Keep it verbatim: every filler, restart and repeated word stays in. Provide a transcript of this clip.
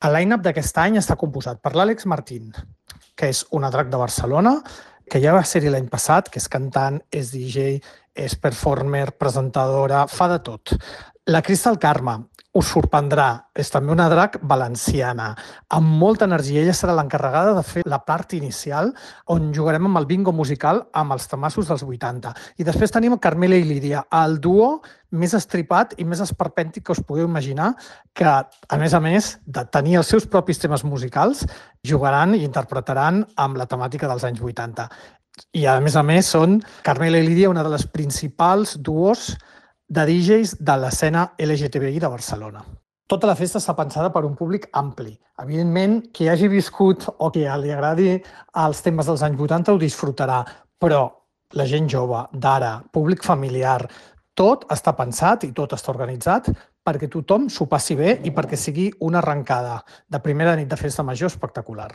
El line-up d'aquest any està composat per l'Àlex Martín, que és una drac de Barcelona, que ja va ser-hi l'any passat, que és cantant, és D J, és performer, presentadora, fa de tot. La Cristal Carme, us sorprendrà, és també una drac valenciana, amb molta energia. Ella serà l'encarregada de fer la part inicial, on jugarem amb el bingo musical amb els temassos dels vuitanta. I després tenim Carmela i Lídia, el duo més estripat i més esperpèntic que us podeu imaginar, que, a més a més de tenir els seus propis temes musicals, jugaran i interpretaran amb la temàtica dels anys vuitanta. I, a més a més, són Carmela i Lídia, una de les principals duos de D Js de l'escena L G T B I de Barcelona. Tota la festa està pensada per un públic ampli. Evidentment, qui hagi viscut o qui li agradi els temes dels anys vuitanta ho disfrutarà, però la gent jove, d'ara, públic familiar, tot està pensat i tot està organitzat perquè tothom s'ho passi bé i perquè sigui una arrencada de primera nit de festa major espectacular.